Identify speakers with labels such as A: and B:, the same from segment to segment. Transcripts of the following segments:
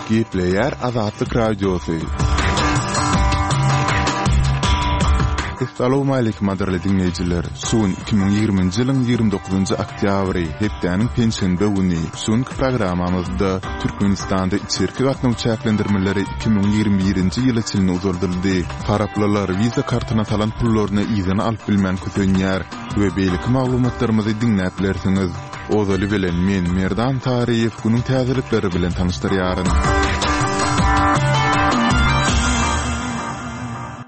A: Gepleýär Azatlyk Radiosy. Essalawmaleýkim gadyrly diňleýjiler! Şu gün 2020-nji ýylyň 29-njy oktýabry, hepdäniň penşenbe güni. Şu günki programmamyzda Türkmenistanda içerki gatnaw çäklendirmeleri 2021-nji ýyla çenli uzaldyldy. Taraplylar Visa kartyna salan pullaryny yzyna alyp bilmän kösenýär we beýleki maglumatlarymyzy diňläp bilersiňiz. Ozaly bilen men, Merdan Saryýew, günüň täzelikleri bilen tanyşdyrýaryn.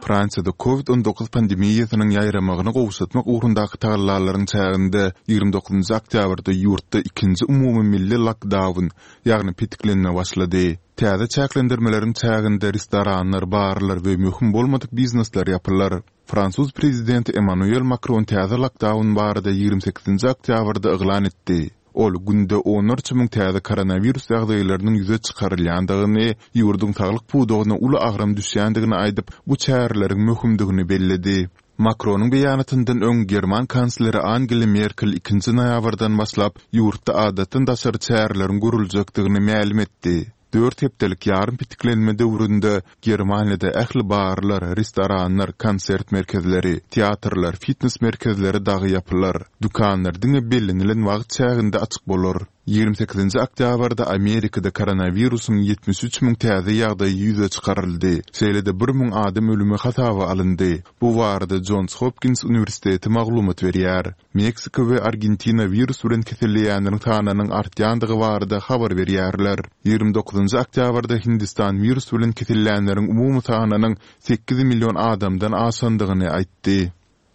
A: Fransiýada Covid 19 pandemiýasynyň ýaýramagyny gowşatmak ugrundaky tagallalaryň çäginde 29-njy oktýabrda ýurtda ikinji umumy milli lokdaun, ýagny petiklenme başlady. Täze çäklendirmeleriň çäginde restoranlar, barlar we möhüm bolmadyk biznesler ýapylar. Fransuz prezidenti Emmanuel Makron täze lokdaun barada 28-nji oktýabrda yglan etdi. Ol günde onlarça müň täze koronawirus ýagdaýlarynyň ýüze çykarylýandygyny, ýurduň saglyk pudagyna uly agram düşýändigini aýdyp, bu çäreleriň möhümdigini belledi. Makronyň beýanatyndan öň german kansleri Angela Merkel ikinji noýabrdan başlap ýurtda adatdan daşary çäreleriň görüljekdigini mälim etdi. Dört hepdelik ýarym petiklenme döwründe Germaniýada ähli barlar, restoranlar, konsert merkezleri, teatrlar, fitnes merkezleri dagy ýapylar. Dükanlar diňe bellenilen wagt çäginde açyk bolar. 28-nji oktýabrda Amerikada koronawirusyň 73 müň täze ýagdaýy ýüze çykaryldy, şeýle-de bir müň adam ölümi hasaba alyndy. Bu barada Jons Hopkins uniwersiteti maglumat berýär. Meksika we Argentina wirus bilen keselleýänleriň sanynyň artýandygy barada habar berýärler. 29-njy oktýabrda Hindistan wirus bilen kesellänleriň umumy sanynyň 8 million adamdan aşandygyny aýtdy.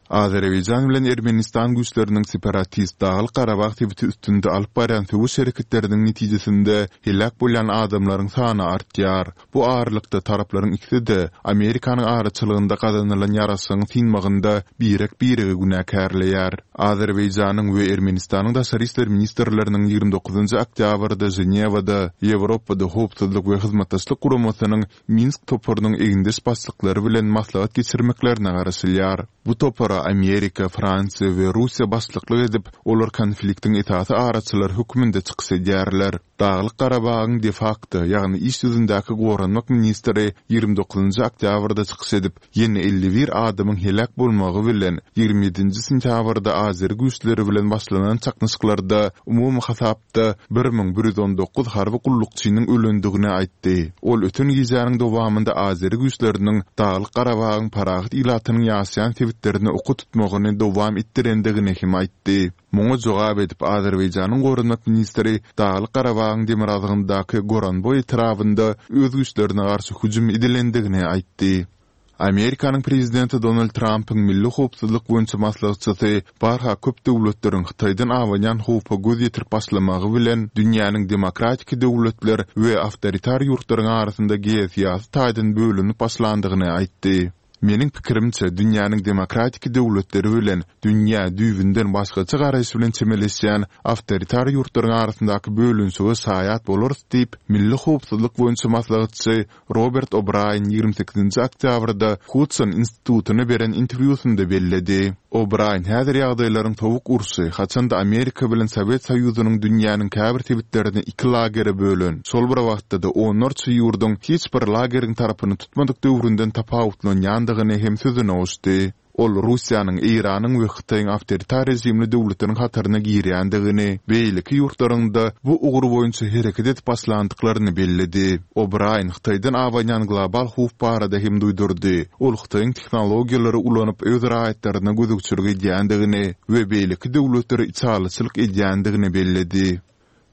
A: Azerbaýjan bilen Ermenistan güýçleriniň separatist Daglyk-Garabag sebiti üstünde alyp barýan söweş hereketleriniň netijesinde heläk bolýan adamlaryň sany artýar. Bu aralykda, taraplaryň ikisi-de Amerikanyň araçylygynda gazanylan ýaraşygyň synmagynda birek-biregi günäkärleýär. Azerbaýjanyň we Ermenistanyň daşary işler ministrleriniň 29-njy oktýabrda Ženewada Ýewropada Howpsuzlyk we Hyzmatdaşlyk Guramasynyň Minsk toparynyň egindeş başlyklary bilen maslahat geçirmeklerine garaşylýar. Bu topara Amerika, Fransiýa we Russiýa başlyklyk edip, olar konfliktiň esasy araçylary hökmünde çykyş edýärler. Daglyk-Garabagyň de-fakto, ýagny iş ýüzündäki goranmak ministri 29-njy oktýabrda çykyş edip, ýene 51 adamyň heläk bolmagy bilen, 27-nji sentýabrda azeri güýçleri bilen başlanan çaknyşyklarda umumy hasapda 1119 harby gullukçynyň ölendigini aýtdy. Ol öten gijäniň dowamynda azeri güýçleriniň Daglyk-Garabagyň parahat ilatynyň ýaşaýan sebitlerine oka tutmagyny dowam etdirendigini hem aýtdy. Muňa jogap edip, Azerbaýjanyň goranmak ministri Daglyk-Garabagyň demirgazygyndaky Goranboý etrabynda öz güýçlerine garşy hüjüm edilendigini aýtdy. Amerikanyň prezidenti Donald Trampyň milli howpsuzlyk boýunça maslahatçysy barha köp döwletleriň Hytaýdan abanýan howpa göz ýetirip başlamagy bilen dünýäniň demokratiki döwletler we awtoritar ýurtlaryň arasynda geosyýasy taýdan bölünip başlandygyny aýtdy. Meniň pikirimçe, dünýäniň demokratiki döwletleri bilen dünýä düýbünden başgaça garaýyş bilen çemeleşýän awtoritar ýurtlaryň arasyndaky bölünişige şaýat bolarys diýip, milli howpsuzlyk boýunça maslahatçy Robert O'Braýen 28-nji oktýabrda Hudson institutyna beren interwýusynda belledi. O'Braýen häzir ýagdaýlaryň sowuk urşy, haçanda Amerika bilen Sowet Soýuzynyň dünýäniň käbir sebitlerini iki lagere bölen, şol bir wagtda-da onlarça ýurduň hiç bir lageriň tarapyny tutmadyk döwründen tapawutlanýandygyny hem sözüne goşdy. Ol Russiýanyň, Eýranyň we Hytaýyň awtoritar režimli döwletleriň hataryna girýändigini, beýleki ýurtlaryň-da bu ugur boýunça hereket edip başlandyklaryny belledi. O'Braýen Hytaýdan abanýan global howp barada hem duýdurdy. Ol Hytaýyň tehnologiýalary ulanyp öz raýatlaryna gözegçilik edýändigini we beýleki döwletlere içalyçylyk edýändigini belledi.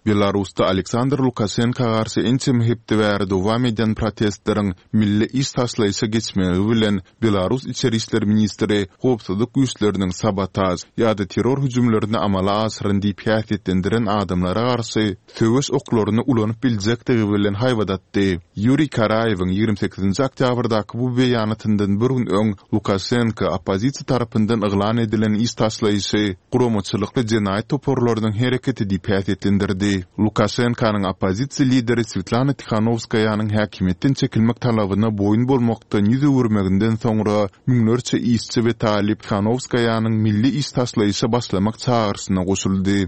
A: Belarusda Aleksandr Lukaşenka garşy ençeme hepde bäri dowam edýän protestleriň milli iş taşlaýyşa geçmegi bilen Belarus içeri işler ministri howpsuzlyk güýçleriniň sabotaž ýa-da terror hüjümlerini amala aşyran diýip häsiýetlendiren adamlara garşy söweş oklaryny ulanyp biljekdigi bilen haýbat atdy. Ýuriý Karaýewiň 28-nji oktýabrdaky bu beýanatyndan bir gün öň Lukaşenko oppozisiýa tarapyndan yglan edilen iş taşlaýyşy guramaçylykly jenaýat toparlarynyň hereketi diýip häsiýetlendirdi. Lukaşenkonyň oppozisiýa lideri Swetlana Tihanowskaýanyň häkimiýetden çekilmek talabyna boýun bolmakdan ýüz öwürmeginden soňra müňlerçe işçi we talyp Tihanowskaýanyň milli iş taşlaýyşa başlamak çagyryşyna goşuldy.